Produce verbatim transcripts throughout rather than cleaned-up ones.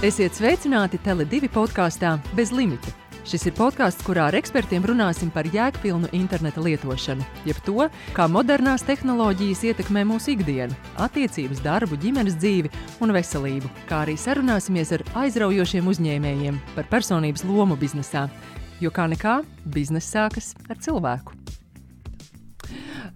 Esiet sveicināti Tele divi podkāstā Bez limita. Šis ir podkāsts, kurā ar ekspertiem runāsim par jēgpilnu interneta lietošanu, jeb to, kā modernās tehnoloģijas ietekmē mūsu ikdienu, attiecības, darbu, ģimenes dzīvi un veselību, kā arī sarunāsimies ar aizraujošiem uzņēmējiem par personības lomu biznesā, jo kā nekā bizness sākas ar cilvēku.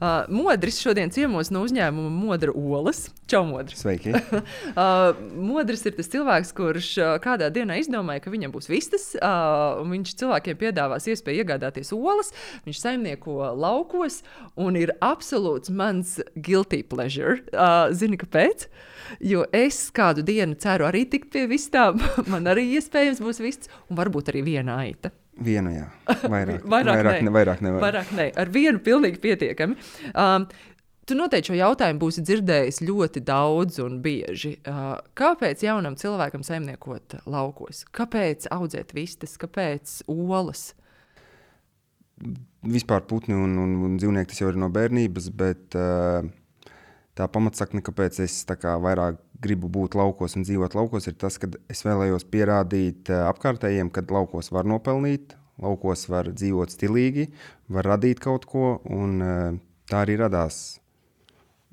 Uh, Modris šodien ciemos no uzņēmuma Modra Olas. Čau, Modris. Sveiki. uh, Modris ir tas cilvēks, kurš uh, kādā dienā izdomāja, ka viņam būs vistas, uh, un viņš cilvēkiem piedāvās iespēju iegādāties olas. Viņš saimnieko laukos un ir absolūts mans guilty pleasure. Uh, zini, kāpēc? Jo es kādu dienu ceru arī tikt pie vistām. Man arī iespējams būs vistas, un varbūt arī viena aita. Vienu, jā. Vairāk, vairāk, vairāk, ne, vairāk nevar. Vairāk ne. Ar vienu pilnīgi pietiekami. Um, tu noteikti šo jautājumu būsi dzirdējis ļoti daudz un bieži. Uh, kāpēc jaunam cilvēkam saimniekot laukos? Kāpēc audzēt vistas? Kāpēc olas? Vispār putni un, un, un dzīvnieki tas jau ir no bērnības, bet uh, tā pamatsakne, kāpēc es tā kā vairāk gribu būt laukos un dzīvot laukos, ir tas, ka es vēlējos pierādīt uh, apkārtējiem, ka laukos var nopelnīt, laukos var dzīvot stilīgi, var radīt kaut ko, un uh, tā arī radās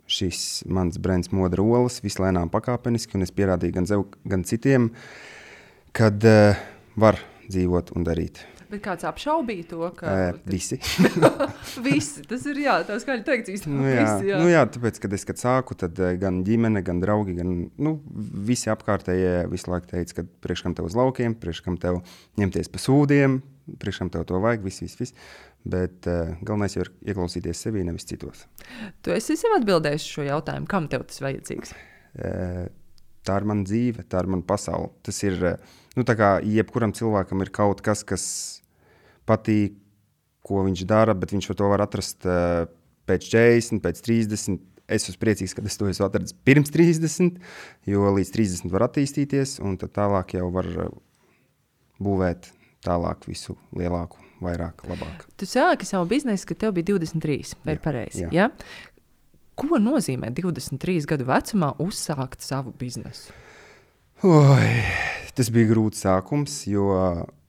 šis mans brands Modra Olas, vislēnām pakāpeniski, un es pierādīju gan sev, gan citiem, kad uh, var dzīvot un darīt. Bet kāds apšaubīja to, ka... Uh, visi. Visi, tas ir, jā, tā skaļi teikts īstenībā. Nu jā, visi, jā. Nu jā, tāpēc, kad es, kad sāku, tad gan ģimene, gan draugi, gan, nu, visi apkārtējie visu laiku teica, ka priekškam tev uz laukiem, priekškam tev ņemties pa sūdiem, priekškam tev to vajag, viss, viss, viss. Bet uh, galvenais jau ir ieklausīties sevī, nevis citos. Tu esi sev atbildējis šo jautājumu, kam tev tas vajadzīgs? Uh, tā ir mana dzīve, tā ir mana pasaule. Tas ir, uh, nu tā kā jebkuram cilvēkam ir kaut kas, kas patīk, ko viņš dara, bet viņš to var atrast uh, pēc četrdesmit, pēc trīsdesmit. Es esmu priecīgs, ka es to esmu atradis pirms trīsdesmit, jo līdz trīsdesmit var attīstīties, un tad tālāk jau var uh, būvēt tālāk visu lielāku, vairāk, labāk. Tu sāki savu biznesu, kad tev bija divdesmit trīs, vai Jā, pareizi? jā. Ja? Ko nozīmē divdesmit trīs gadu vecumā uzsākt savu biznesu? Oi, tas bija grūts sākums, jo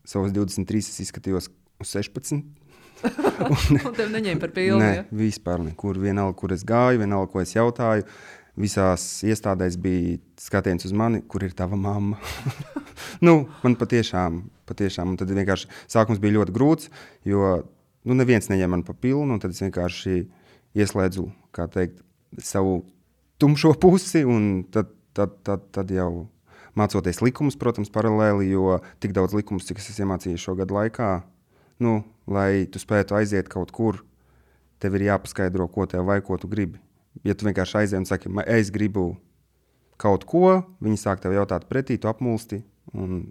savos divdesmit trīs es izskatījos uz sešpadsmit. un, un tev neņēma par pilnu, ne, ja? vispār nekur. Vienalga, kur es gāju, vienalga, ko es jautāju. Visās iestādēs bija skatiens uz mani, kur ir tava mamma. nu, man patiešām, patiešām. Un tad vienkārši sākums bija ļoti grūts, jo nu, neviens neņēma man pa pilnu, un tad es vienkārši ieslēdzu, kā teikt, savu tumšo pusi, un tad, tad, tad, tad jau mācoties likumus, protams, paralēli, jo tik daudz likumus, cik es esmu iemācījies šo gadu laikā, nu, lai tu spētu aiziet kaut kur, tev ir jāpaskaidro, ko tev vajag, ko tu gribi. Ja tu vienkārši aiziet un saki, es gribu kaut ko, viņi sāk tev jautāt pretī, tu apmulsti, un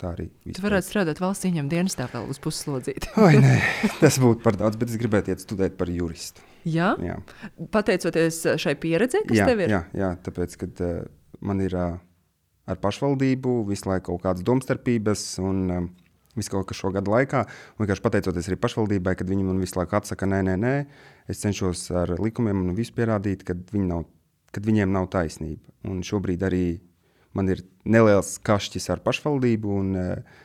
tā arī vispār. Tu varētu strādāt valsts ieņem dienestā vēl uz pusslodzīti. Oi, nē, tas būtu par daudz, bet es gribētu iet studēt par juristu. Jā? Jā. Pateicoties šai pieredzei, kas jā, tev ir? Jā, jā, tāpēc, kad uh, man ir uh, ar pašvaldību visu laiku kaut kādas domstarpības un um, visu kaut kas šo gadu laikā, un vienkārši pateicoties arī pašvaldībai, kad viņi man visu laiku atsaka, nē, nē, nē, es cenšos ar likumiem un visu pierādīt, kad, viņi nav, kad viņiem nav taisnība. Un šobrīd arī man ir neliels kašķis ar pašvaldību, un uh,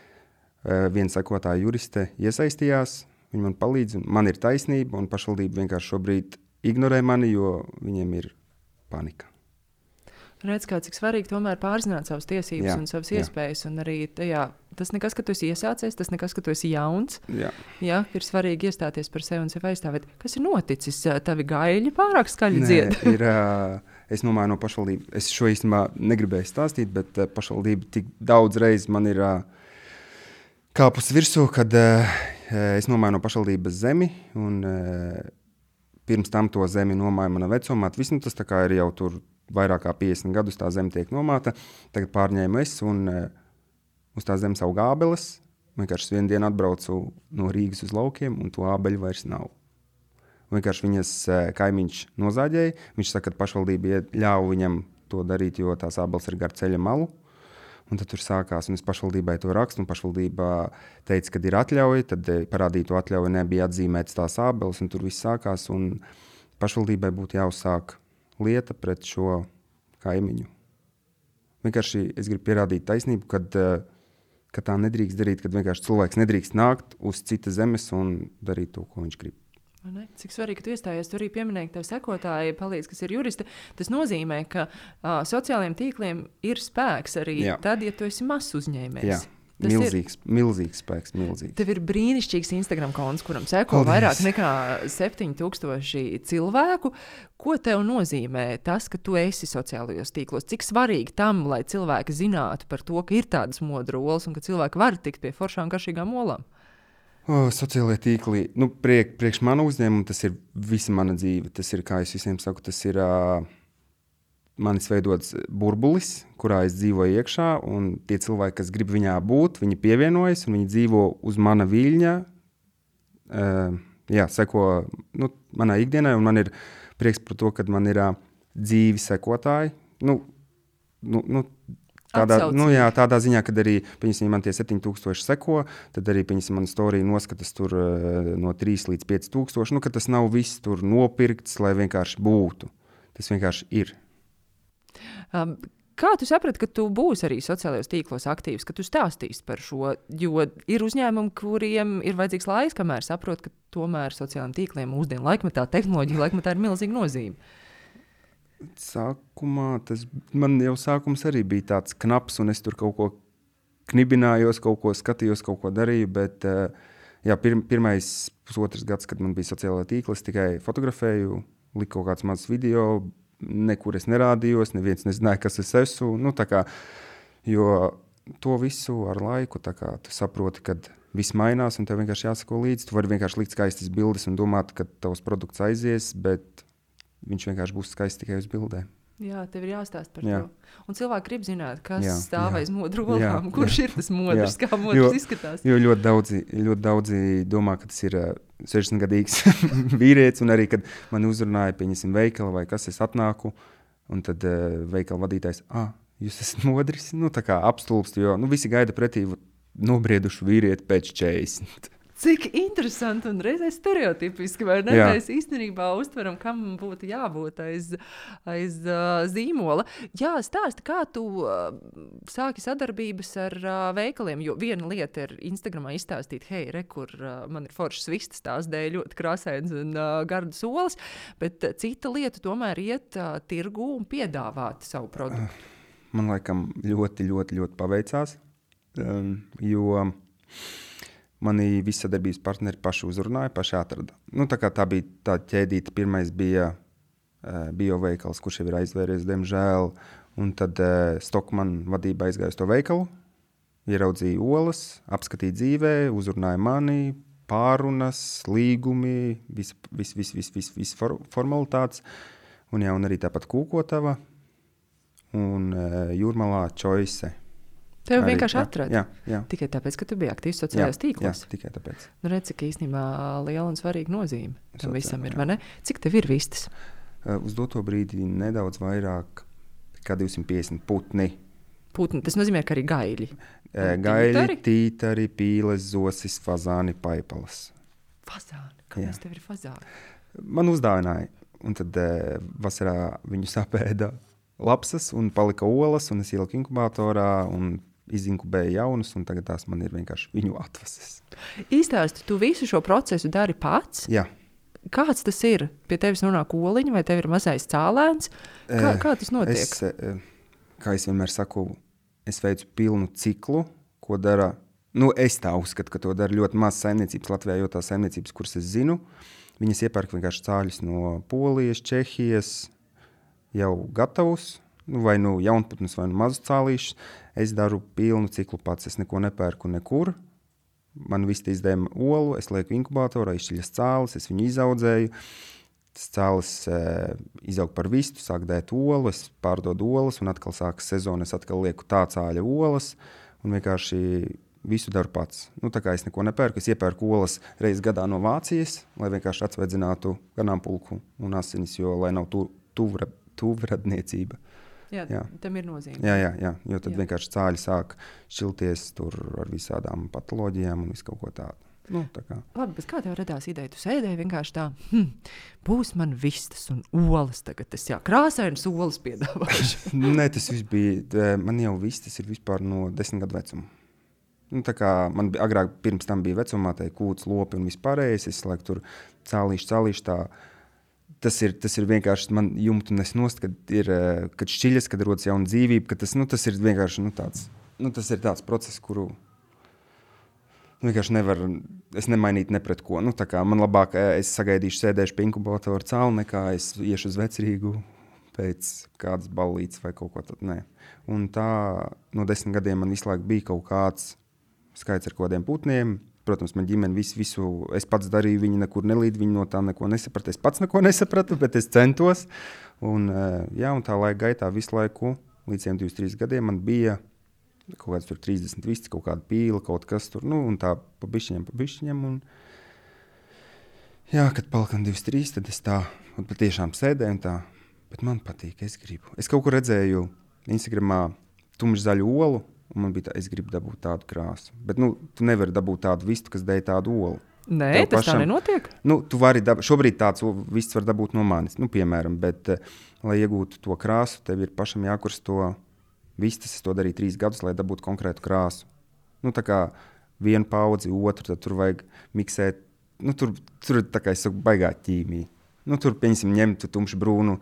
viena sekotāja juriste iesaistījās, viņa man palīdz, un man ir taisnība, un pašvaldība vienkārši šobrīd ignorē mani, jo viņiem ir panika. Redz, kā cik svarīgi tomēr pārzināt savas tiesības jā, un savas jā. iespējas, un arī tajā, tas nekas, ka tu esi iesācies, tas nekas, ka tu esi jauns. Jā. Jā, ir svarīgi iestāties par sevi un sevi aizstāvēt. Kas ir noticis? Tavi gaļi pārāk skaļi dzied? Nē, ir, uh, es nomāju no pašvaldību. Es šo īstenībā negribēju stāstīt, bet uh, pašvaldība tik daudz reiz man ir uh, kāpus virsū, kad uh, es nomāju no pašvaldības zemi, un uh, pirms tam to zemi nomāja mana vecumāte. Viss, nu, tas tā kā ir jau tur vairāk kā piecdesmit gadus tā zeme tiek nomāta. Tagad pārņēmu es un uh, uz tā zemes aug ābeles. Vienkārši vienu dienu atbraucu no Rīgas uz laukiem, un to ābeļu vairs nav. Vienkārši viņas uh, kaimiņš nozāģēja. Viņš saka, ka pašvaldība ļauj viņam to darīt, jo tās ābeles ir gar ceļa malu. Un tad tur sākās, un es pašvaldībai to rakstu, un pašvaldībā teica, ka ir atļauja, tad parādīja to atļauju, nebija atzīmētas tās ābeles, un tur viss sākās, un pašvaldībai būtu jāuzsāk lieta pret šo kaimiņu. Vienkārši es gribu pierādīt taisnību, kad, ka tā nedrīkst darīt, kad vienkārši cilvēks nedrīkst nākt uz citas zemes un darīt to, ko viņš grib. Ne? Cik svarīgi, ka tu iestājies, tu arī pieminēji, ka tev sekotāji palīdz, kas ir juristi. Tas nozīmē, ka uh, sociālajiem tīkliem ir spēks arī Jā. Tad, ja tu esi mazs uzņēmējs. Jā. Tas milzīgs, ir, milzīgs spēks, milzīgs. Tev ir brīnišķīgs Instagram konts, kuram seko Paldies. Vairāk nekā septiņi tūkstoši cilvēku. Ko tev nozīmē tas, ka tu esi sociālajos tīklos? Cik svarīgi tam, lai cilvēki zinātu par to, ka ir tādas modru olas un ka cilvēki var tikt pie foršām garšīgām olām? O, sociālajie tīkli, nu, priek, priekš mana uzņēmuma tas ir visa mana dzīve. Tas ir, kā es visiem saku, tas ir... Uh, manis veidots burbulis, kurā es dzīvoju iekšā, un tie cilvēki, kas grib viņā būt, viņi pievienojas, un viņi dzīvo uz mana viļņa, uh, jā, seko nu, manā ikdienai, un man ir prieks par to, ka man ir uh, dzīvi sekotāji. Nu, nu, nu, tādā, nu, jā, tādā ziņā, kad arī, piemēram, man tie septiņi tūkstoši seko, tad arī, piemēram, man storija noskatas tur uh, no trīs līdz pieci tūkstoši, nu, ka tas nav viss tur nopirkts, lai vienkārši būtu. Tas vienkārši ir. Um, kā tu saprati, ka tu būsi arī sociālajos tīklos aktīvs, ka tu stāstīsi par šo, jo ir uzņēmumi, kuriem ir vajadzīgs laiks, kamēr saprot, ka tomēr sociālajiem tīkliem mūsdienu laikmetā, tehnoloģija laikmetā ir milzīga nozīme? Sākumā tas, man jau sākums arī bija tāds knaps, un es tur kaut ko knibinājos, kaut ko skatījos, kaut ko darīju, bet jā, pir, pirmais pusotrs gads, kad man bija sociālajā tīkla, es tikai fotografēju, liku kaut kāds mazs video, nekur es nerādījos, neviens nezināja, kas es esmu, nu tā kā, jo to visu ar laiku, tā kā tu saproti, kad viss mainās un tev vienkārši jāsako līdzi, tu vari vienkārši likt skaistas bildes un domāt, ka tavs produkts aizies, bet viņš vienkārši būs skaists tikai uz bildēm. Jā, tev ir jāstāst par jā. To. Un cilvēki grib zināt, kas jā, stāv aiz jā. modru olām, kurš jā. Ir tas modrs, jā. Kā modrs jo, izskatās. Jo ļoti daudzi, ļoti daudzi domā, ka tas ir uh, sešdesmitgadīgs vīrietis, un arī, kad man uzrunāja, pieņemsim, veikala vai kas, es atnāku, un tad uh, veikala vadītājs, ah, jūs esat modris, nu tā kā apstulbst, jo nu, visi gaida pretī nobriedušu vīrieti pēc četrdesmit. Cik interesanti un reizē stereotipiski, vai ne? Jā. Mēs īstenībā uztveram, kam būtu jābūt aiz, aiz uh, zīmola. Jā, stāsti, kā tu uh, sāki sadarbības ar uh, veikaliem, jo viena lieta ir Instagramā izstāstīt, hei, re, kur uh, man ir foršas vistas, tās dēļ ļoti krāsains un uh, gardas olas, bet uh, cita lieta tomēr iet uh, tirgu un piedāvāt savu produktu. Man laikam ļoti, ļoti, ļoti paveicās, um, jo... Mani visi sadarbības partneri paši uzrunāja, paši atrada. Nu, tā kā tā bija tā ķēdīte, pirmais bija uh, bioveikals, kurš jau ir aizvēries, diemžēl, un tad uh, Stockman vadība aizgāja uz to veikalu, ieraudzīja olas, apskatīja dzīvē, uzrunāja mani, pārunas, līgumi, viss vis, vis, vis, vis, vis for, formalitātes, un, jā, un arī tāpat Kūkotava un uh, Jūrmalā Choice. Tev arī, vienkārši jā, atrada. Jā, jā. Tikai tāpēc, ka tu biji aktīvs sociālajos tīklos. Jā, tikai tāpēc. Nu, redz, cik īstenībā liela un svarīga nozīme tam Sociāli, visam ir, jā. vai ne? Cik tev ir vistas? Uh, uz doto brīdi nedaudz vairāk kā divsimt piecdesmit putni. Putni, tas nozīmē, ka arī gaļi. Uh, gaļi, tītari, pīles, zosis, fazāni, paipalas. Fazāni? Kāpēc tev ir fazāni? Man uzdāvināja, un tad uh, vasarā viņu sapēda lapsas un palika olas, un es ieliku inkubatorā un izinkubēju jaunas, un tagad tās man ir vienkārši viņu atvases. Īstāsti, tu visu šo procesu dari pats? Jā. Kāds tas ir? Pie tevis nonāk oliņa, vai tev ir mazais cālēns? Kā, kā tas notiek? Es, kā es vienmēr saku, es veicu pilnu ciklu, ko dara, nu es tā uzskatu, ka to dara ļoti maz saimniecības Latvijā, jo tās saimniecības, kuras es zinu, viņas iepērk vienkārši cāļus no Polijas, Čehijas, jau gatavus, nu, vai nu jaunputnus, vai nu mazus cālīšus. Es daru pilnu ciklu pats, es neko nepērku nekur. Man viss izdēma olu, es lieku inkubatorā, izšķiļas cālis, es viņu izaudzēju. Tas cālis e, izaug par vistu, sāk dēt olu, es pārdodu olas, un atkal sākas sezona, es atkal lieku tā cāļa olas, un vienkārši visu daru pats. Nu, tā kā es neko nepērku, es iepērku olas reiz gadā no Vācijas, lai vienkārši atsveidzinātu ganāmpulku un asinis, jo lai nav tu, tuvra, tuvradniecība. Jā, jā, tam ir nozīme. Jā, jā, jā, jo tad jā. Vienkārši cāļi sāk šķilties tur ar visādām patoloģijām un visu kaut ko tādu. Nu, tā kā. Labi, bet kā tev radās ideja? Tu sēdēji vienkārši tā, hm, būs man vistas un olas tagad. Es jā, krāsainas olas piedāvāšu. Nē, tas viss bija, man jau vistas ir vispār no desmit gadu vecuma. Nu, tā kā man bija, agrāk pirms tam bija vecumā, tā kūts, lopi un vispārējais, es laiku tur cālīšu, cālīšu tā. Tas ir, tas ir vienkārši, man jumtu nes nost, kad ir, kad šķiļas, kad rodas jauna dzīvība, ka tas, nu, tas ir vienkārši, nu, tāds, nu, tas ir tāds process, kuru vienkārši nevar, es nemainītu ne pret ko. Nu, tā kā man labāk, es sagaidīšu, sēdēšu pie inkubatoru cāli, nekā es iešu uz vecrīgu pēc kādas ballītes vai kaut ko tad, nē. Un tā no desmit gadiem man visu laiku bija kaut kāds skaits ar kodiem putniem. Protams, man ģimene visu, visu, es pats darīju, viņi nekur nelīd, viņi no tā neko nesaprata. Es pats neko nesapratu, bet es centos. Un, jā, un tā laika gaitā visu laiku, līdz divdesmit trīs gadiem, man bija kaut kāds tur trīsdesmit vists, kaut kāda pīla, kaut kas tur, nu, un tā pa bišķiņiem, pa bišķiņiem. Un, jā, kad palikam divdesmit trīs, tad es tā, un patiešām sēdēju un tā, bet man patīk, es gribu. Es kaut kur redzēju Instagramā tumšzaļu olu, un man bija tā, es gribu dabūt tādu krāsu. Bet, nu, tu nevari dabūt tādu vistu, kas dēļ tādu olu. Nē, Tev tas pašam, tā nenotiek? Nu, tu vari dabūt, šobrīd tāds vists var dabūt no manis, nu, piemēram, bet, lai iegūtu to krāsu, tev ir pašam jākurs to vistas, es to darīju trīs gadus, lai dabūtu konkrētu krāsu. Nu, tā kā vienu paudzi, otru, tad tur vajag miksēt, nu, tur, tur tā kā es saku, baigā ķīmija. Nu, tur, pieņemsim, ņemt tumši brūnu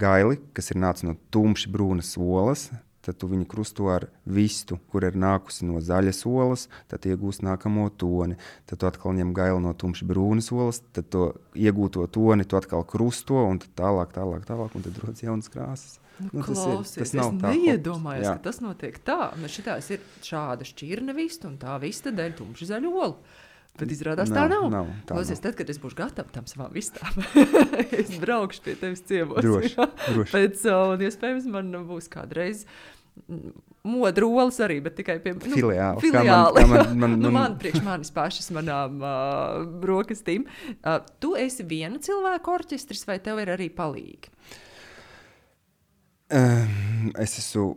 gaili, kas ir nācis no tumši brūnas olas, tad tu viņu krusto ar vistu, kur ir nākusi no zaļas olas, tad iegūst nākamo toni. Tad tu atkal ņem gailu no tumši brūnas olas, tad to iegūto toni tu atkal krusto, un tad tālāk, tālāk, tālāk, un tad rodas jaunas krāsas. Nu, Nu, tas klausies, ir, tas es nav tā neiedomājos, hops. ka tas notiek tā. Nu, šitās ir šāda šķirne vista, un tā vista dēļ tumši zaļu olu. Bet izrādās tā nav. nav, tā Klausies, nav. tad, kad es būšu gatava tam savām vistām, es braukšu pie tevis ciemos. Droši, jā. droši. Pēc, un iespējams, man būs kādreiz modru olas arī, bet tikai pie nu, Filiāli. filiāli. Kā man- kā man- man- nu, man- man priekš manis pašas manām uh, brokastīm. Uh, tu esi viena cilvēka orķestris vai tev ir arī palīgi? Um, es esmu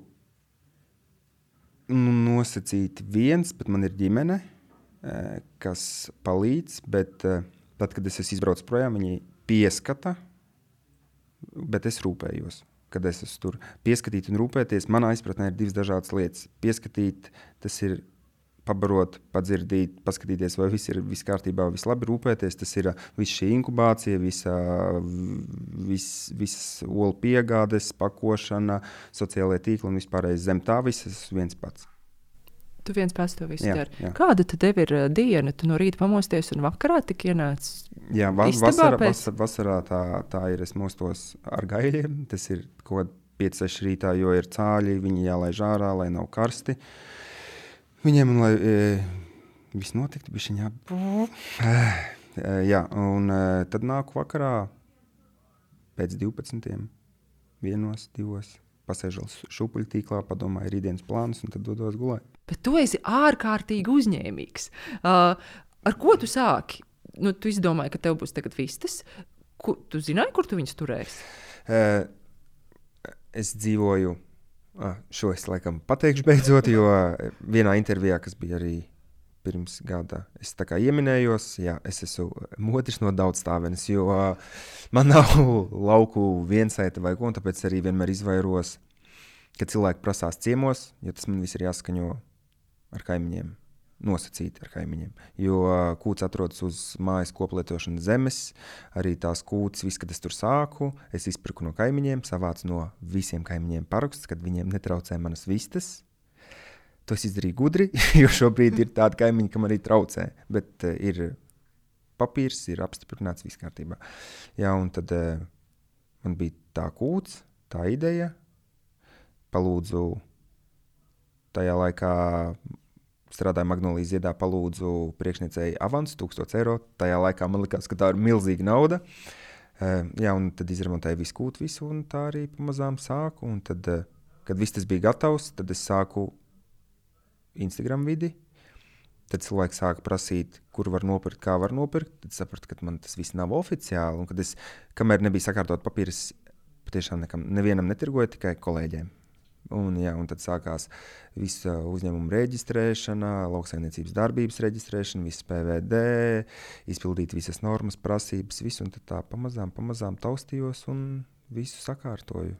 nu, nosacīti viens, bet man ir ģimene, uh, kas palīdz, bet uh, tad, kad es esmu izbraucis projām, viņi pieskata, bet es rūpējos. Kad es esmu tur pieskatīt un rūpēties, manā izpratnē ir divas dažādas lietas. Pieskatīt, tas ir pabarot, padzirdīt, paskatīties, vai viss ir viss kārtībā, viss labi rūpēties. Tas ir viss šī inkubācija, visa, viss, visas olu piegādes, pakošana, sociālajie tīkli un vispārējais zem tā viss, es esmu viens pats. Tu viens pats to visu Jā, dari. jā. Kāda tad tev ir uh, diena? Tu no rīta pamosties un vakarā tik ienāc? Jā, va Istabā vasarā, pēc- vasar, vasarā tā, tā ir, es mostos ar gaļiem, tas ir kaut kādi pieci seši rītā, jo ir cāļi, viņi jālaiž ārā, lai nav karsti. Viņiem, un lai e, viss notiktu, bišķiņ jā. E, jā, un e, tad nāku vakarā pēc divpadsmitiem, vienos, divos, pasēžos šūpuļtīklā, padomāju rītdienas plānus un tad dodos gulēt. Bet tu esi ārkārtīgi uzņēmīgs. Uh, ar ko tu sāki? Nu, tu izdomāji, ka tev būs tagad vistas. Ku, tu zināji, kur tu viņus turēsi? E, es dzīvoju, a, šo es laikam pateikšu beidzot, jo vienā intervijā, kas bija arī pirms gada, es tā kā ieminējos, jā, es esmu modrs no daudzstāvenes, jo a, man nav lauku viensēta vai ko, un tāpēc arī vienmēr izvairos, kad cilvēki prasās ciemos, jo tas man viss ir jāskaņo ar kaimiņiem, nosacīti ar kaimiņiem. Jo uh, kūts atrodas uz mājas koplietošanas zemes, arī tās kūts, viss, kad es tur sāku, es izpirku no kaimiņiem, savācu no visiem kaimiņiem parakstus, kad viņiem netraucē manas vistas. To es izdarīju gudri, jo šobrīd ir tādi kaimiņi, kam arī traucē, bet uh, ir papīrs, ir apstiprināts, viss kārtībā. Jā, un tad uh, man bija tā kūts, tā ideja, palūdzu tajā laikā strādāju Magnolijas ziedā, palūdzu priekšniecēji avansu, tūkstots eiro. Tajā laikā man likās, ka tā ir milzīga nauda. Uh, jā, un tad izremontēju visu kūtu visu, un tā arī pamazām sāku. Un tad, uh, kad viss tas bija gatavs, tad es sāku Instagram vidi. Tad cilvēki sāka prasīt, kur var nopirkt, kā var nopirkt. Tad sapratu, ka man tas viss nav oficiāli. Un kad es, kamēr nebija sakārtot papīras, patiešām nekam, nevienam netirgoju, tikai kolēģiem. Un, jā, un tad sākās visa uzņēmuma reģistrēšana, lauksaimniecības darbības reģistrēšana, viss P V D, izpildīt visas normas, prasības, visu, un tad tā pamazām, pamazām taustījos un visu sakārtoju.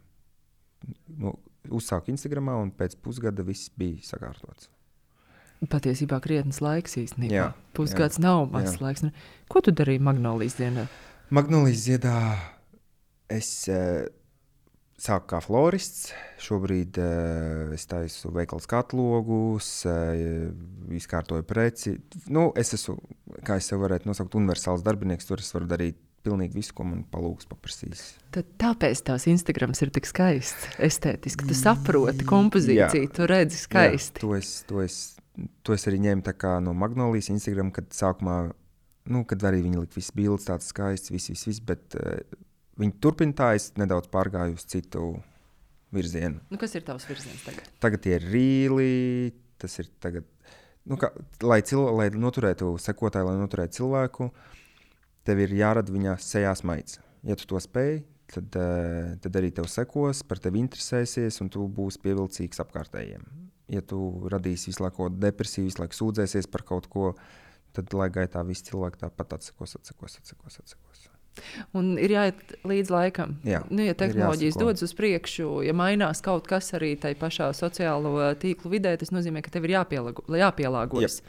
Nu, uzsāku Instagramā, un pēc pusgada viss bija sakārtots. Patiesībā krietnes laiks īstenībā. Jā, Pusgads jā, nav mazs jā. laiks. Ko tu darīji Magnolijas dienā? Magnolijas ziedā es eh, sāku kā florists. Šobrīd eh, es taisu veikals katlogus, eh, izkārtoju preci. Nu, es esmu, kā es sev varētu nosaukt, universāls darbinieks. Tur es varu darīt pilnīgi visu, ko man palūgs paprasīs. Tad tāpēc tās Instagrams ir tik skaists, estētiski. Tu saproti kompozīciju, jā, tu redzi skaisti. Jā, to es, to es, to es arī ņēmu tā kā no Magnolijas Instagram, kad sākumā, nu, kad arī viņi lika visas bildes tāds skaists, viss, viss, viss, bet uh, viņi turpina tā, es nedaudz pārgāju uz citu virzienu. Nu, kas ir tavs virziens tagad? Tagad tie ir rīli, tas ir tagad, nu, kā, lai, cil, lai noturētu sekotāju, lai noturētu cilvēku, tev ir jārada viņa sejā smaids. Ja tu to spēj, tad, uh, tad arī tev sekos, par tevi interesēsies, un tu būsi pievilcīgs apkārtējiem. Ja tu radīsi visu laiku depresiju, visu laiku sūdzēsies par kaut ko, tad laika gaitā visi cilvēki tāpat atsekos, atsekos, atsekos, atsekos. Un ir jāiet līdz laikam. Jā, nu, ja tehnoloģijas dodas uz priekšu, ja mainās kaut kas arī tai pašā sociālo tīklu vidē, tas nozīmē, ka tev ir jāpielago, jāpielāgojas.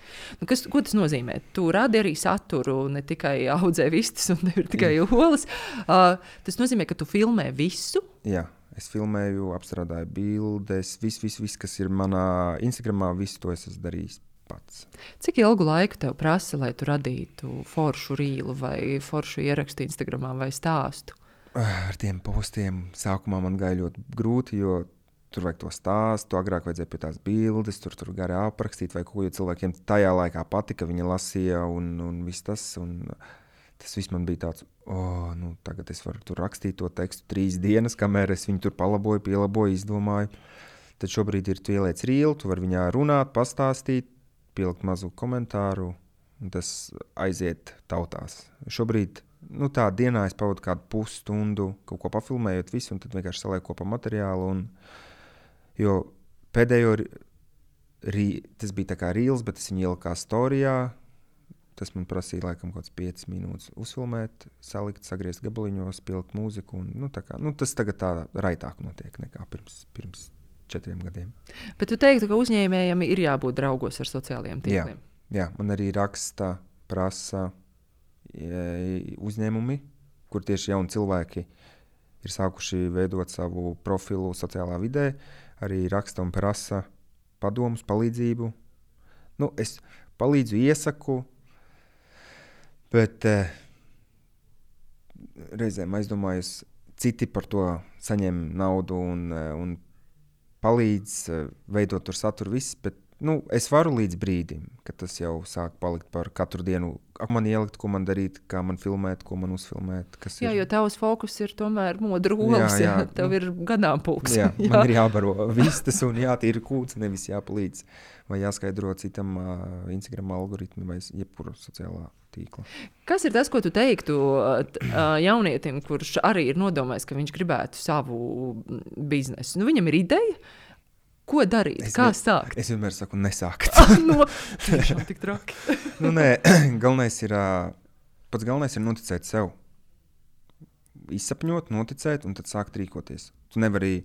Nu, kas, ko tas nozīmē? Tu radi arī saturu, ne tikai audzē vistas un tev ir tikai olas. Uh, tas nozīmē, ka tu filmē visu? Jā, es filmēju, apstrādāju bildes, viss, viss, vis, kas ir manā Instagramā, visu to es esmu darījis pats. Cik ilgu laiku tev prasa, lai tu radītu foršu rīlu vai foršu ierakstu Instagramā vai stāstu? Ar tiem postiem sākumā man gāja ļoti grūti, jo tur vajag to stāstu, agrāk vajadzēja pie tās bildes, tur, tur gari aprakstīt vai ko, jo cilvēkiem tajā laikā patika, viņi lasīja un, un viss tas. Un tas viss man bija tāds, oh, nu, tagad es varu tur rakstīt to tekstu trīs dienas, kamēr es viņu tur palaboju, pielaboju, izdomāju. Tad šobrīd ir tu ieliec rīlu, tu vari viņā runāt, pastāstīt, pielikt mazu komentāru, un tas aiziet tautās. Šobrīd, nu tā dienā es pavadu kādu pusstundu, kaut ko pafilmējot visu, un tad vienkārši salieku kopā materiālu. Un, jo pēdējo, rī, tas bija tā kā rīls, bet es viņu ieliku kā storijā. Tas man prasīja laikam kaut kāds piecas minūtes uzfilmēt, salikt, sagriezt gabaliņos, pielikt mūziku. Un, nu, tā kā, nu, tas tagad tā raitāk notiek nekā pirms, pirms četriem gadiem. Bet tu teiktu, ka uzņēmējiem ir jābūt draugos ar sociālajiem tīkliem? Jā, jā, man arī raksta, prasa e, uzņēmumi, kur tieši jauni cilvēki ir sākuši veidot savu profilu sociālā vidē, arī raksta un prasa padomus, palīdzību. Nu, es palīdzu, iesaku, bet e, reizēm aizdomājos, citi par to saņem naudu un, un palīdz veidot tur saturu viss, bet nu, es varu līdz brīdim, kad tas jau sāk palikt par katru dienu. Ak, man ielikt, ko man darīt, kā man filmēt, ko man uzfilmēt. Kas jā, ir. Jo tavs fokus ir tomēr modru olas, jā, jā. Tev ir ganāmpulks. Jā, jā, man ir jābaro vistas un jātīra kūts, nevis jāpalīdz vai jāskaidro citam uh, Instagram algoritmi vai jebkura sociālā tīkla. Kas ir tas, ko tu teiktu uh, jaunietim, kurš arī ir nodomājis, ka viņš gribētu savu biznesu? Nu, viņam ir ideja, ko darīt, es kā ne, sākt? Es vienmēr saku, nesākt. no, tiešām tik traki. nu, nē, galvenais ir, pats galvenais ir noticēt sev. Izsapņot, noticēt un tad sākt rīkoties. Tu nevari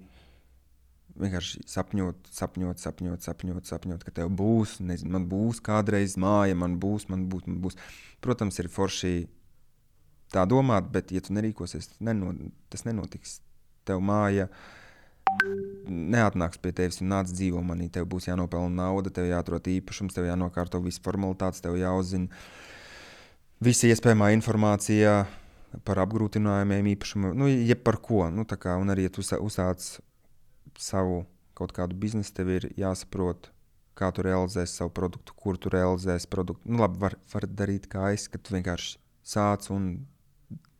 vienkārši sapņot, sapņot, sapņot, sapņot, sapņot, ka tev būs, nezinu, man būs kādreiz māja, man būs, man būs, man būs. Protams, ir forši tā domāt, bet ja tu nerīkosies, neno, tas nenotiks. Tev māja neatnāks pie tevis un nāc dzīvo manī, tev būs jānopelna nauda, tev jāatrod īpašums, tev jānokārto visas formalitātes, tev jāuzzina visa iespējamā informācija par apgrūtinājumiem, īpašumu, nu, jeb par ko. Nu, tā kā, un arī, ja tu uzsāc savu kaut kādu biznesu, tev ir jāsaprot, kā tu realizēsi savu produktu, kur tu realizēsi produktu. Nu, labi, var, var darīt kā es, ka tu vienkārši sāc un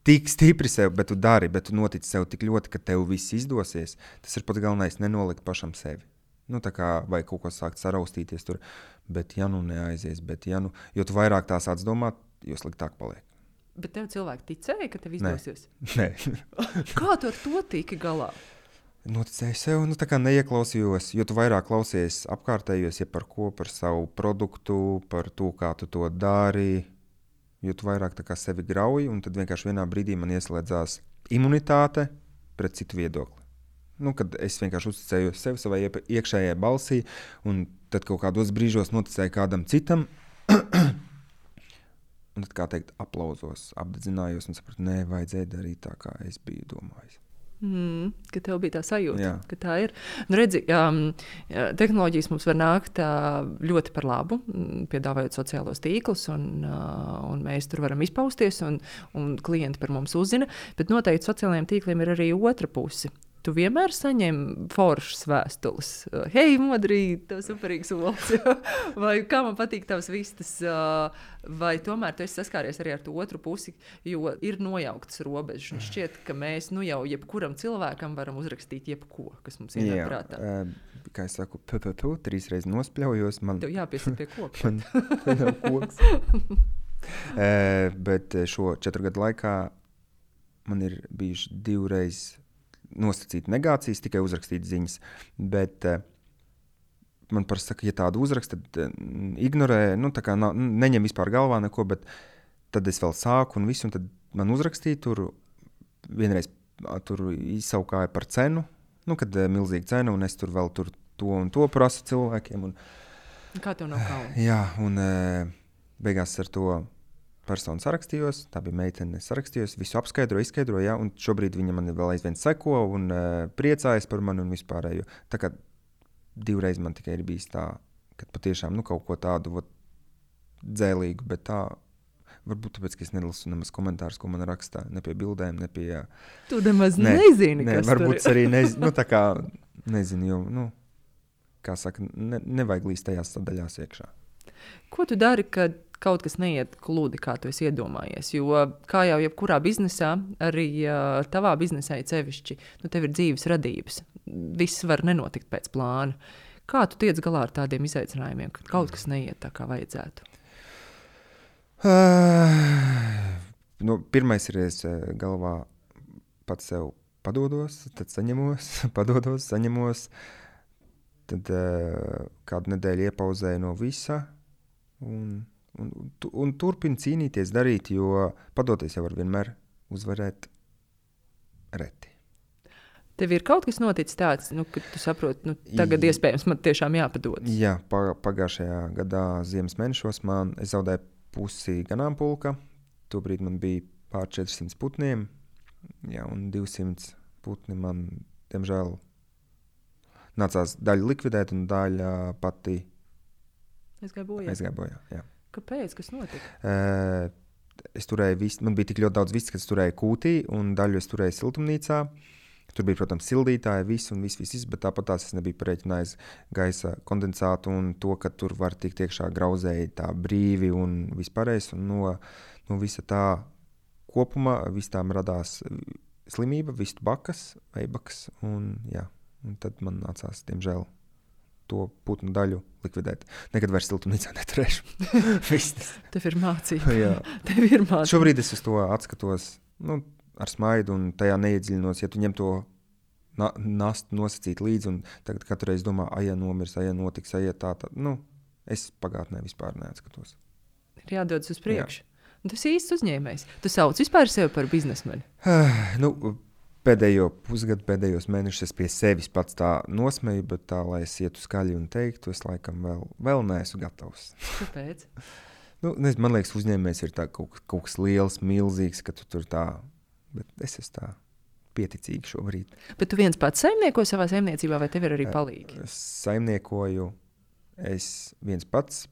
tik stipri sev, bet tu dari, bet tu notici sev tik ļoti, ka tev viss izdosies. Tas ir pats galvenais, nenolikt pašam sevi. Nu, tā kā, vai kaut ko sākt saraustīties tur, bet ja nu neaizies, bet ja nu, jo tu vairāk tā sāc domāt, jo sliktāk paliek. Bet tev cilvēki ticēja, ka tev izdosies? Nē. Kā tu ar to tiki galā? Noticēju sev, nu tā kā neieklausījos, jo tu vairāk klausies apkārtējos, ja par ko, par savu produktu, par to, kā tu to dari, jo tu vairāk tā kā sevi grauji, un tad vienkārši vienā brīdī man ieslēdzās imunitāte pret citu viedokli. Nu, kad es vienkārši uzticēju sev savai iekšējai balsī, un tad kaut kādos brīžos noticēju kādam citam, un tad, kā teikt, aplauzos, apdedzinājos un sapratu, nē, vajadzēja darīt tā, kā es biju domājis. Mm, ka tev bija tā sajūta, Jā. ka tā ir. Nu, redzi, um, tehnoloģijas mums var nākt uh, ļoti par labu, piedāvājot sociālos tīklus, un, uh, un mēs tur varam izpausties, un, un klienti par mums uzzina, bet noteikti sociālajiem tīkliem ir arī otra puse. Tu vienmēr saņem foršas vēstules. Hei, modrī, tev superīgs olas. Vai kā man patīk tavs vistas. Vai tomēr tu esi saskāries arī ar to otru pusi, jo ir nojauktas robežas. Un šķiet, ka mēs nu jau jebkuram cilvēkam varam uzrakstīt jebko, kas mums ienāk prātā. Jā, kā es saku, pu, pu, pu, trīs reizes nospļaujos. Man... Tev jāpiesit pie koka. man nav koks. Bet šo četru gadu laikā man ir bijuši divreiz nosacīt negācijas, tikai uzrakstīt ziņas. Bet uh, man parasti saka, ja tādu uzrakst, tad uh, ignorē, nu tā kā nav, neņem vispār galvā neko, bet tad es vēl sāku un visu, un tad man uzrakstīja tur, vienreiz uh, tur izsaukāja par cenu, nu, kad uh, milzīga cena, un es tur vēl tur to un to prasu cilvēkiem. Un, kā tev nav kauna? Jā, un uh, beigās ar to personu sarakstījos, tā bija meitene, sarakstījos, visu apskaidroju, izskaidroju, ja, un šobrīd viņa man vēl aizvien seko un uh, priecājas par mani un vispārējo. Tā kā divreiz man tikai ir bijis tā, kad patiešām nu, kaut ko tādu vat, dzēlīgu, bet tā varbūt tāpēc, ka es nelasu nemaz komentārus, ko man rakstā, ne pie bildēm, ne pie... Tu nemaz ne, nezini, ne, kas varbūt tur ir. Arī nezinu, nu tā kā nezinu, jo, nu, kā saka, ne, nevajag līst tajās sadaļās iekšā. Ko tu dari, kad kaut kas neiet gludi, kā tu esi iedomājies? Jo, kā jau jebkurā biznesā, arī uh, tavā biznesā ir sevišķi, nu, tev ir dzīves radības. Viss var nenotikt pēc plāna. Kā tu tiec galā ar tādiem izaicinājumiem, kad kaut kas neiet tā, kā vajadzētu? Uh, nu, pirmais ir, es galvā pats sev padodos, tad saņemos, padodos, saņemos, tad uh, kādu nedēļu iepauzēju no visa, un Un, un, un turpina cīnīties, darīt, jo padoties jau var vienmēr uzvarēt reti. Tev ir kaut kas noticis tāds, nu, ka tu saproti, nu, tagad I, iespējams man tiešām jāpadodas? Jā, pagājušajā gadā ziemas mēnešos man es zaudēju pusi ganāmpulka. Tobrīd man bija pār četrsimt putniem, jā, un divsimt putni man, diemžēl, nācās daļu likvidēt un daļa pati aizgāja bojā. Aizgāja bojā, jā. Kāpēc? Kas notika? Uh, es turēju visu, man bija tik ļoti daudz vistas, ka es turēju kūtī, un daļu es turēju siltumnīcā. Tur bija, protams, sildītāji, viss un viss, viss, bet tāpat tās es nebiju pareiķinājis gaisa kondensātu un to, ka tur var tikt iekšā grauzēji tā brīvi un vispārējais. Un no, no visa tā kopumā vis tām radās slimība, vistu bakas, veibakas, un jā, un tad man nācās, diemžēl, to putnu daļu likvidēt. Nekad vairs siltumnīcā neturēšu. Tev ir mācība. Jā. Tev ir mācība. Šobrīd es uz to atskatos nu, ar smaidu un tajā neiedziļinos. Ja tu ņem to na- nastu nosacīt līdzi un tagad katru reizi domā, aja nomirs, aja notiks, aja tā, tā. Nu, es pagātnē vispār neatskatos. Ir jādodas uz priekšu. Un tas ir īsts uzņēmējs. Tu sauc vispār sevi par biznesmeni? nu, Pēdējo pusgadu, pēdējos mēnešus es pie sevis pats tā nosmeju, bet tā, lai es ietu skaļi un teiktu, es laikam vēl, vēl neesmu gatavs. Kāpēc? nu, nezinu, man liekas, uzņēmējs ir tā kaut, kaut kas liels, milzīgs, ka tu tur tā, bet es esmu tā pieticīgi šobrīd. Bet tu viens pats saimnieko savā saimniecībā, vai tev ir arī palīgi? Es saimniekoju, es viens pats,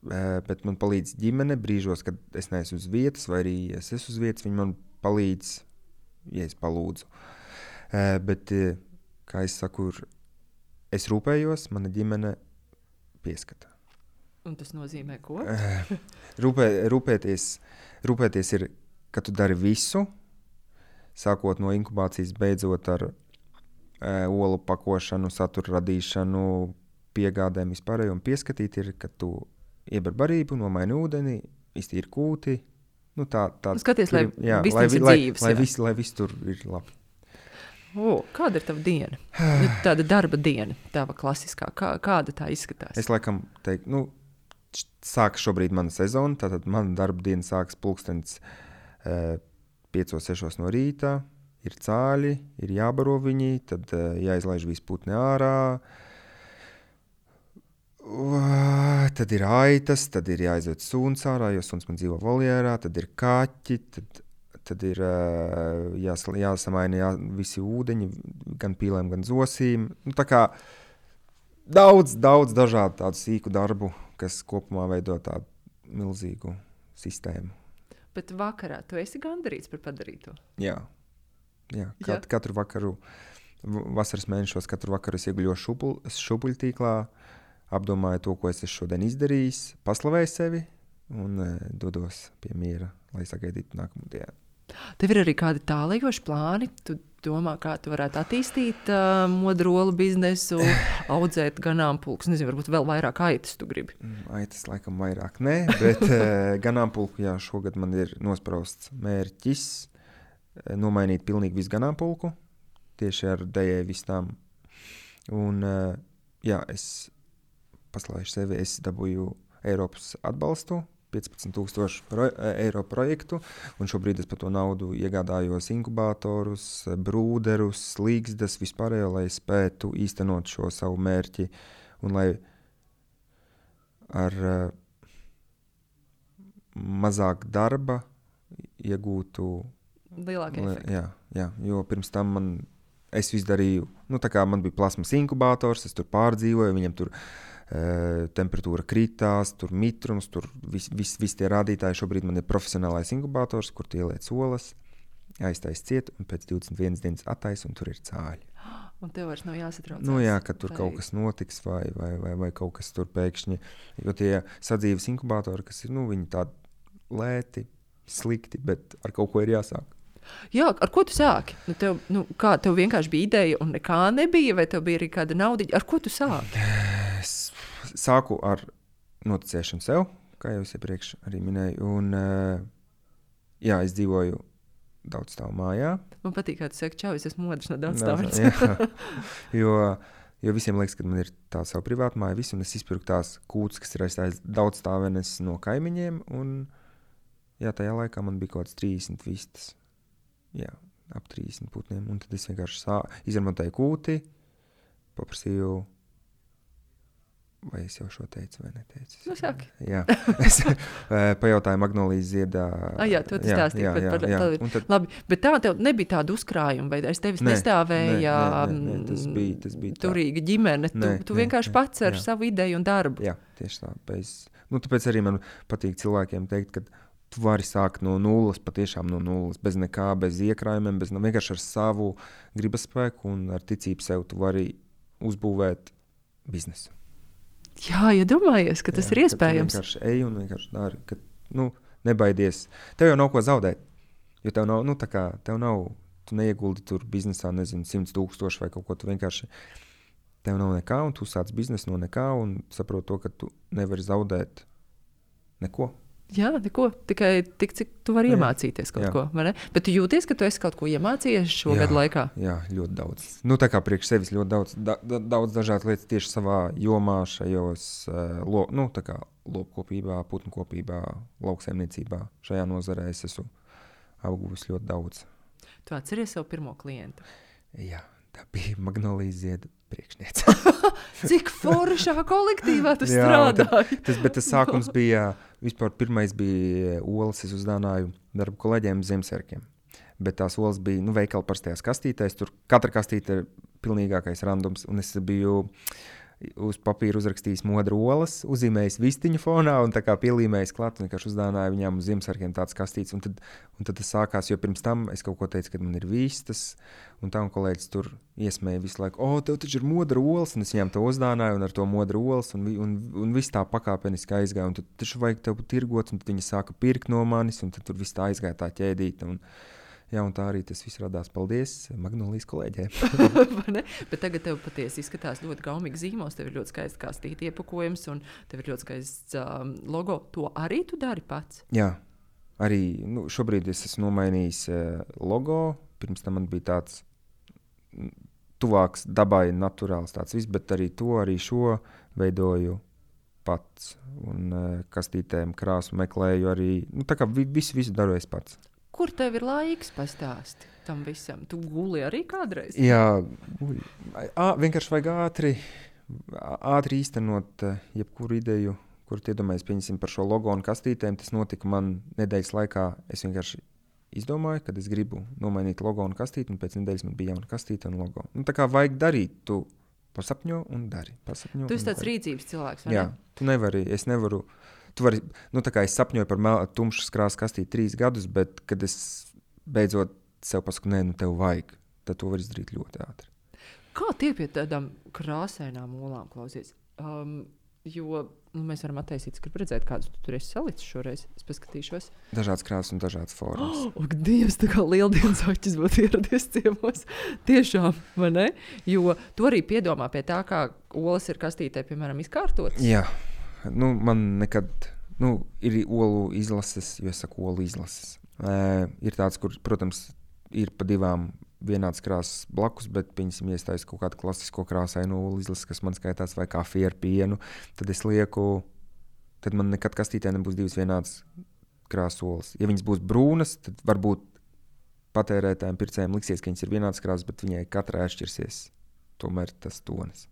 bet man palīdz ģimene brīžos, kad es neesmu uz vietas, vai arī es esmu uz vietas, viņi man palīdz, ja es palūdzu. Uh, bet, uh, kā es saku, es rūpējos, mana ģimene pieskata. Un tas nozīmē ko? Uh, rūpē, rūpēties, rūpēties ir, ka tu dari visu, sākot no inkubācijas, beidzot ar uh, olu pakošanu, satura radīšanu, piegādēm vispārējo, un pieskatīt ir, ka tu ieber barību, nomaini ūdeni, iztīri kūti. Nu, tā, tā, Skaties, lai jā, viss lai, ir lai, dzīves. Lai, lai, viss, lai viss tur ir labi. O, kāda ir tava diena? Nu, tāda darba diena, tava klasiskā. Kā, kāda tā izskatās? Es laikam teiktu, nu, sākas šobrīd mana sezona, tātad mana darba diena sākas pulkstens uh, piecos, sešos no rīta, ir cāļi, ir jābaro viņi, tad uh, jāizlaiž visi putni ārā, uh, tad ir aitas, tad ir jāizved suns ārā, jo suns man dzīvo voljērā, tad ir kaķi, tad, tad ir uh, jās, jāsamaina jā, visi ūdeņi, gan pīlēm, gan zosīm. Nu, tā kā daudz, daudz dažādu tādu sīku darbu, kas kopumā veido tādu milzīgu sistēmu. Bet vakarā tu esi gandarīts par padarīto? Jā. Jā. Kat, Jā. Katru vakaru, vasaras mēnešos, katru vakaru es ieguļoju šupul, šupuļtīklā, apdomāju to, ko es esmu šodien izdarījis, paslavēju sevi un e, dodos pie miera, lai sagaidītu nākamu dienu. Tev ir arī kādi tālējoši plāni? Tu domā, kā tu varētu attīstīt uh, modrolu biznesu, audzēt ganāmpulkus? Nezinu, varbūt vēl vairāk aitas tu gribi? Aitas laikam vairāk nē, bet uh, ganāmpulku, jā, šogad man ir nosprausts mērķis uh, nomainīt pilnīgi visu ganāmpulku, tieši ar dējai vistām. Un, uh, jā, es paslēšu sevi, es dabūju Eiropas atbalstu, piecpadsmit tūkstoši pro, eiro projektu, un šobrīd es par to naudu iegādājos inkubātorus, brūderus, līgstas, vispārējo, lai spētu īstenot šo savu mērķi, un lai ar uh, mazāk darba iegūtu lielāku efektu. Jā, jā, jo pirms tam man, es visu darīju, nu tā kā man bija plasmas inkubātors, es tur pārdzīvoju, viņam tur Uh, temperatūra kritās, tur mitrums, tur visi vis, vis tie rādītāji. Šobrīd man ir profesionālais inkubātors, kur tu ieliec olas, aiztais ciet, un pēc divdesmit vienas dienas attais, un tur ir cāļi. Un tev vairs nav jāsatraucās. Nu jā, ka tur vai... kaut kas notiks, vai, vai, vai, vai kaut kas tur pēkšņi, jo tie sadzīves inkubātori, kas ir, nu, viņi tādi lēti, slikti, bet ar kaut ko ir jāsāk. Jā, ar ko tu sāki? Nu, tev, nu, kā, tev vienkārši bija ideja un nekā nebija, vai tev bija arī kāda naudiņa? Ar ko tu sāki? Es sāku ar noticēšanu sev, kā jau es iepriekš arī minēju, un jā, es dzīvoju daudz stāvu mājā. Man patīk, kā tu saki, čau, es esmu modrs no daudz stāvs. jo, jo visiem liekas, ka man ir tā savu privātu māju, visu, un es izpirku tās kūtas, kas ir aizstājis daudz stāvenes no kaimiņiem, un jā, tajā laikā man bija kaut kāds trīsdesmit vistas. Jā, ap trīsdesmit putniem, un tad es vienkārši sā, izremontēju kūti, paprasīju, vai es jau šo teicu vai neteicu? Nu, saki. Jā, es pajautāju Magnolijas ziedā. Ah, jā, tu stāstīji jā, par, jā, par, jā. par Tad... Labi, bet tā tev nebija tāda uzkrājuma, vai aiz tevis nē, nestāvēja nē, nē, nē, tas bija, tas bija turīga ģimene, tu, nē, tu vienkārši nē, pats ar jā. savu ideju un darbu. Jā, tieši tā. Bez... Nu, tāpēc arī man patīk cilvēkiem teikt, ka tu vari sākt no nulles, patiešām no nulles, bez nekā, bez iekrājumiem, bez, vienkārši ar savu gribaspēku un ar ticību sev tu vari uzbūvēt biznesu. Jā, iedomājies, ka tas jā, ir iespējams. Tu vienkārši ej un vienkārši dari, ka, nu, nebaidies. Tev jau nav ko zaudēt, jo tev nav, nu, tā kā, tev nav, tu neieguldi tur biznesā, nezinu, simts tūkstoši vai kaut ko, tu vienkārši, tev nav nekā, un tu sāc biznesu no nekā, un saproti to, ka tu nevari zaudēt neko. Jā, neko, tikai tik, cik tu vari jā. Iemācīties kaut jā. Ko, vai ne? Bet tu jūties, ka tu esi kaut ko iemācījies šo jā, gadu laikā? Jā, ļoti daudz. Nu, tā kā priekš sevis ļoti daudz, da, da, daudz dažādas lietas tieši savā jomā, šajos, uh, lo, nu, tā kā lopkopībā, putnkopībā, lauksaimniecībā. Šajā nozarē es esmu apguvis ļoti daudz. Tu atceries savu pirmo klientu? Jā, tā bija Magnolijas zieda priekšniece. Cik foršā kolektīvā tu strādāji? Tas, bet tas sākums bija, vispār pirmais bija olas, es uzdāvināju darbu kolēģiem Ziemassvētkiem. Bet tās olas bija, nu, veikala parastajās kastītēs, tur katra kastīte ir pilnīgākais randums, un es biju uz papīra uzrakstījis modru olas, uzzīmējis vistiņu fonā un tā kā pielīmējis klāt, un vienkārši uzdāvināju viņām uz Ziemassvētkiem tāds kastītes, un tad, un tad tas sākās, jo pirms tam es kaut ko teicu, kad man ir vistas, un tā un kolēģis tur iesmēja visu laiku, o, tev taču ir modra olas, un es viņām to uzdāvināju, un ar to modru olas, un, un, un viss tā pakāpeniski aizgāja, un tad taču vajag tev tirgot, un tad viņi sāka pirkt no manis, un tad tur viss tā aizgāja tā ķēdīta, un jā, un tā arī tas viss radās. Paldies Magnolijas kolēģiem. Bet tagad tev patiesi izskatās ļoti gaumīgi zīmos, tev ir ļoti skaists kastīti iepakojums un tev ir ļoti skaists um, logo. To arī tu dari pats? Jā, arī nu, šobrīd es esmu nomainījis uh, logo. Pirms tam man bija tāds tuvāks dabai, naturāls tāds viss, bet arī to, arī šo veidoju pats. Un uh, kastītēm krāsu meklēju arī, nu tā kā vi, visu, visu daru es pats. Kur tev ir laiks pastāsti tam visam? Tu guli arī kādreiz? Jā, guļ. Ā, vienkārši vajag ātri, ātri īstenot uh, jebkuru ideju, kur iedomājies, pieņemsim par šo logo un kastītēm. Tas notika man nedēļas laikā. Es vienkārši izdomāju, kad es gribu nomainīt logo un kastīti, un pēc nedēļas man bija jauna kastīte un logo. Nu, tā kā vajag darīt, tu pasapņo un dari. Pasapņo tu esi tāds dari. rīcības cilvēks, vai Jā, ne? tu nevari, es nevaru, tu vari, nu tā kā es sapņoju par mel, tumšas krāsas kastīti trīs gadus, bet kad es beidzot sev pasaku, nē, nu tev vajag, tad to var izdarīt ļoti ātri. Kā tie pie tādām krāsainām olām klausies? Um, jo nu, mēs varam attaisīt, es gribu redzēt, kādus tu tur esi salicis šoreiz. Es paskatīšos. Dažādas krāsas un dažādas formas. Oh, ak, Dievs, tā kā lieldienas aķis būtu ieradies ciemos. Tiešām, vai ne? Jo tu arī piedomā pie tā, kā olas ir kastītē, piemēram, izkārtotas. Jā, nu man nekad, nu ir olu izlases, jo es saku olu izlases. E, ir tāds, kur, protams, ir pa divām vienāds krāsas blakus, bet, piemēram, iestājas kaut kādu klasisko krāsainu olu izlases, kas man skaitās, vai kafija ar pienu, tad es lieku, tad man nekad kastītē nebūs divas vienādas krāsas olas. Ja viņas būs brūnas, tad varbūt patērētājiem, pircējiem liksies, ka viņas ir vienādas krāsas, bet viņai katrai atšķirsies tomēr tas tonis.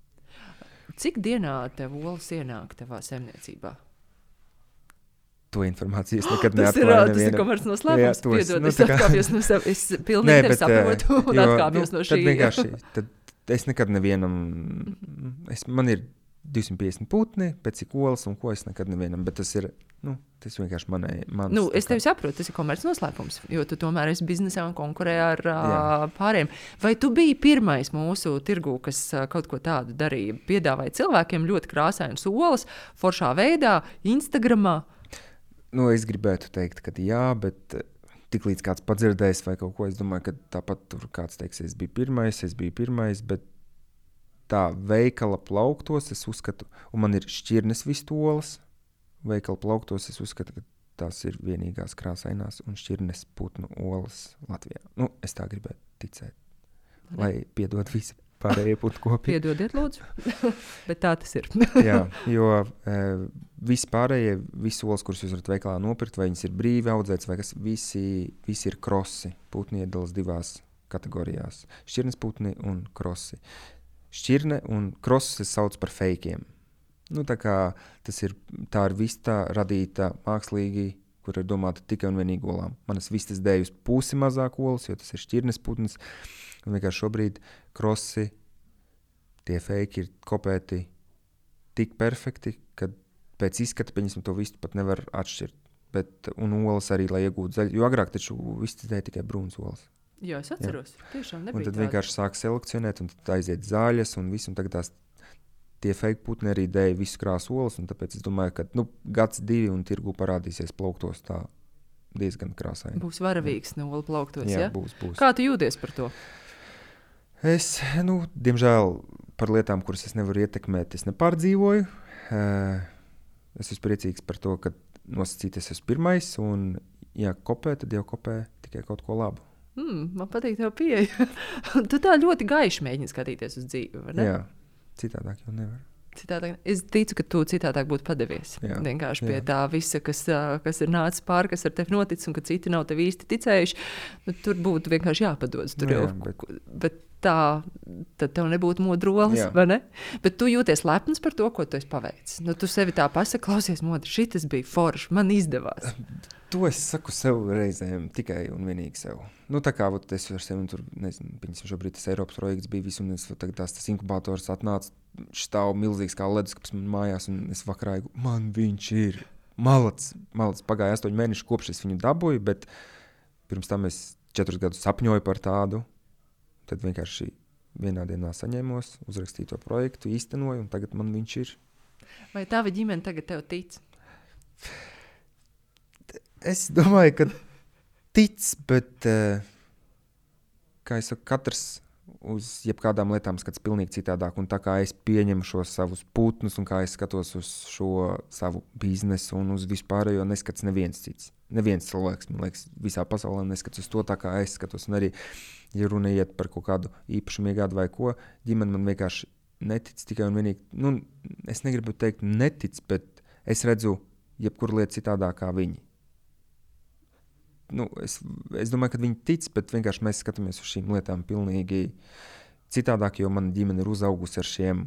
Cik dienā tev olas ienāk tavā saimniecībā? To informāciju es nekad tas neatklāju ir, nevienam. Tas ir komerces noslēpums. Jā, Piedod, nu, es tā kā- atkāpjos no sev. Es pilnīgi tevi saprotu un jo, atkāpjos nu, no šī. Tad vienkārši, tad es nekad nevienam, es, man ir divsimt piecdesmit putni, pēc cik olas un ko es nekad nevienam, bet tas ir, nu, tas vienkārši manai, mans. Nu, es tā kā- tevi saprotu, tas ir komerces noslēpums, jo tu tomēr esi biznesā un konkurē ar Jā. uh, pāriem. Vai tu biji pirmais mūsu tirgū, kas uh, kaut ko tādu darīja? Piedāvāja cilvēkiem ļoti krāsainas olas, foršā veidā, Instagramā? Nu, es gribētu teikt, ka jā, bet tik līdz kāds padzirdējis vai kaut ko, es domāju, ka tāpat tur kāds teiks, es biju pirmais, es biju pirmais, bet tā veikala plauktos es uzskatu, un man ir šķirnes vistolas, veikala plauktos es uzskatu, ka tās ir vienīgās krāsainās un šķirnes putnu olas Latvijā. Nu, es tā gribētu ticēt, lai piedod visi pārējie putnu kopi. Piedodiet, lūdzu, bet tā tas ir. Jā, jo e, visi pārējie, visi olas, kurus jūs varat veikalā nopirkt, vai viņas ir brīvi audzētas, vai kas, visi, visi ir krosi. Putni iedalās divās kategorijās. Šķirnes putni un krosi. Šķirne un krosis es sauc par fejkiem. Nu, tā kā tas ir, tā ir vista radīta mākslīgi, kur ir domāta tikai un vienīgi olām. Manas vistas dēļ uz pusi mazāk olas, jo tas ir šķirnes putns. Un vienkārši šobrīd krosi, tie fejki ir kopēti tik perfekti, ka pēc izskata, pieņemsim, to vistu pat nevar atšķirt. Bet, un olas arī, lai iegūtu zaļu, jo agrāk taču vistas dēļ tikai brūnas olas. Jā, es atceros. Jā. Tiešām nebija un tad tāda. vienkārši sāk selekcionēt, un tad aiziet zaļas, un visu, un tagad tās tie fejki putni arī dēļ visu krāsu olas, un tāpēc es domāju, ka nu, gads divi un tirgu parādīsies plauktos tā diezgan krāsaini. Būs varavīgs no olu plauktos, Jā, ja? būs, būs. Kā tu jūties par to? Es, nu, diemžēl par lietām, kuras es nevaru ietekmēt, es nepārdzīvoju. Es esmu priecīgs par to, ka nosacīties esmu pirmais, un ja kopē, tad jau kopē tikai kaut ko labu. Mm, man patīk tev pieeja. Tu tā ļoti gaiši mēģini skatīties uz dzīvi, vai ne? Jā, citādāk jau nevar. Citādāk, es ticu, ka tu citādāk būtu padevies. Jā, vienkārši pie jā. tā visa, kas, ā, kas ir nācis pāri, kas ar tevi noticis, un ka citi nav tev īsti ticējuši. Nu, tur būtu vienkārši jāpadodas. Tur Nu, jau, jā, bet- bet tā, tad tev nebūtu modrolas, Jā. vai ne? Bet tu jūties lepns par to, ko tu esi paveicis. Nu, tu sevi tā pasaki, klausies, modri, šitas bija forši, man izdevās. To es saku sev reizēm, tikai un vienīgi sev. Nu, tā kā vat, es ar sevi tur, nezinu, piņasim, šobrīd tas Eiropas projekts bija visu, un es tagad tās, tas inkubators atnāca, stāv milzīgs kā leduskapis man mājās, un es vakarā iegu, man viņš ir malacis. Malacis pagāja astoņi mēneši, kopš es viņu dabūju, bet pirms tam es četrus gadus sapņoju par tādu, tad vienkārši vienā dienā saņēmos, uzrakstīju to projektu, īstenoju, un tagad man viņš ir. Vai tava ģimene tagad tev tic? Es domāju, ka tic, bet, kā es saku, katrs uz jebkādām lietām skats pilnīgi citādāk. Un tā kā es pieņemu šos savus putnus un kā es skatos uz šo savu biznesu un uz vispārējo, neskats neviens cits. Neviens cilvēks, man liekas, visā pasaulē neskats uz to tā, kā es skatos. Un arī, ja runa iet par kaut kādu īpašumu iegādu vai ko, ģimene man vienkārši netic tikai un vienīgi. Nu, es negribu teikt netic, bet es redzu jebkuru lietu citādāk kā viņi. Nu, es, es domāju, ka viņi tic, bet vienkārši mēs skatāmies uz šīm lietām pilnīgi citādāk, jo mana ģimene ir uzaugusi ar šiem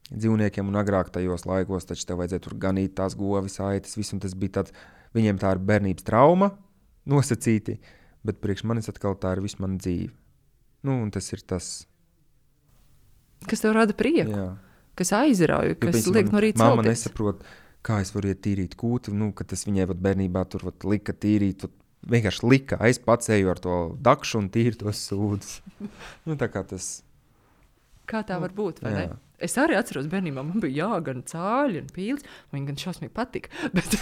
dzīvniekiem un agrāk tajos laikos, taču tev vajadzēja tur ganīt tās govis, aitas, visu, un tas bija tāds, viņiem tā ir bērnības trauma nosacīti, bet priekš manis atkal tā ir visu mana dzīve. Nu, un tas ir tas. Kas tev rada prieku, jā. Kas aizrauja, kas jo, liek no rīta celties. Mamma nesaprot, kā es varu iet tīrīt kūti, nu, ka tas viņai vat bērnībā tur vat lika tīrīt, vat vienkārši lika, es pats eju ar to dakšu un tīri tos sūdus. Nu, tā kā tas. Kā tā var būt, vai jā. Ne? Es arī atceros bērnībā, man bija jāgan cāļi un pīles, man gan šausmīgi patika, bet,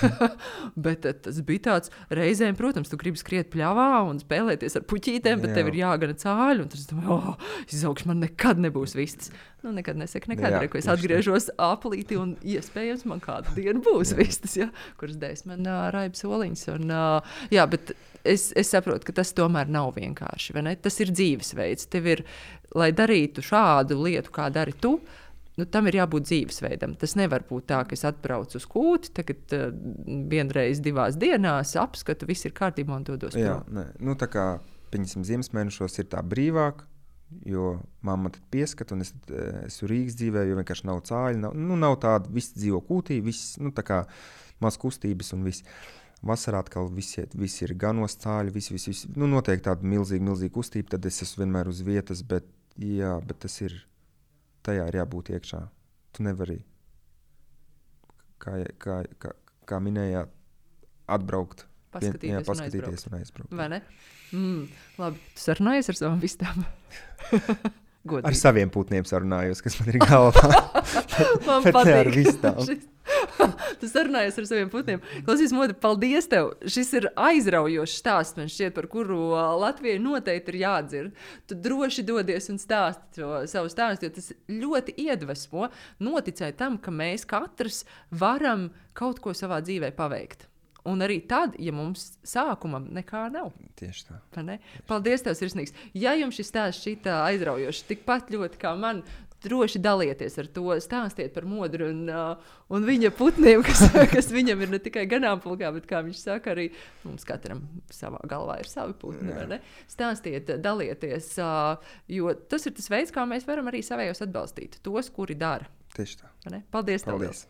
bet tas bija tāds reizēm, protams, tu gribi skriet pļavā un spēlēties ar puķītēm, bet jā. Tev ir jāgana cāļi, un tad es domāju, oh, izaugšu, man nekad nebūs vistas. Nu, nekad nesaka, nekad, re, ko es atgriežos aplīti, un iespējams man kādu dienu būs jā. Vistas, ja, kuras dēļ man uh, raiba soliņas, un uh, jā, bet es, es saprotu, ka tas tomēr nav vienkārši, vai ne? Tas ir dzīvesveids, tev ir, lai darītu šādu lietu, kā dari tu, nu, tam ir jābūt dzīvesveidam. Tas nevar būt tā, ka es atbraucu uz kūti, tagad uh, vienreiz divās dienās apskatu, viss ir kārtībā un dodos jā, prom. Ne. Nu, tā kā, piņasim, ziemesmēnešos ir tā brīvāk, jo mamma tad pieskat, un es esmu Rīgas dzīvē, jo vienkārši nav cāļi, nav, nu, nav tāda, viss dzīvo kūtī, viss, nu, tā kā maz kustības un viss. Vasarā atkal visi, visi ir ganos cāļi, visi, visi, visi, nu, notiek tāda milzīga, milzīga kustība, tad es esmu vienmēr uz vietas, bet, jā, bet tas ir, tajā ir jābūt iekšā. Tu nevari, kā, kā, kā, kā minējāt, atbraukt, paskatīties, jā, un, paskatīties aizbraukt. un aizbraukt. Vai ne? Mm, labi, tu sarunājies ar savām vistām? Godīgi. Ar saviem putniem sarunājos, kas man ir galvā. Man bet patīk. Ne ar vistām. Tu sarunājies ar saviem putniem. Klausies, Modi, paldies tev. Šis ir aizraujošs stāsts, man šķiet, par kuru Latvijai noteikti ir jādzird. Tu droši dodies un stāsti to savu stāstu, jo tas ļoti iedvesmo noticēt tam, ka mēs katrs varam kaut ko savā dzīvē paveikt. Un arī tad, ja mums sākumam nekā nav. Tieši tā. Ne? Paldies tev, sirsnīgs. Ja jums šis stāsts šitā aizraujoši, tikpat ļoti kā man, droši dalieties ar to, stāstiet par Modru un, uh, un viņa putniem, kas, kas viņam ir ne tikai ganāmpulkā, bet, kā viņš saka, arī mums katram savā galvā ir savi putni. Ne? Stāstiet, dalieties, uh, jo tas ir tas veids, kā mēs varam arī savējos atbalstīt. Tos, kuri dara. Tieši tā. Paldies tev. Paldies.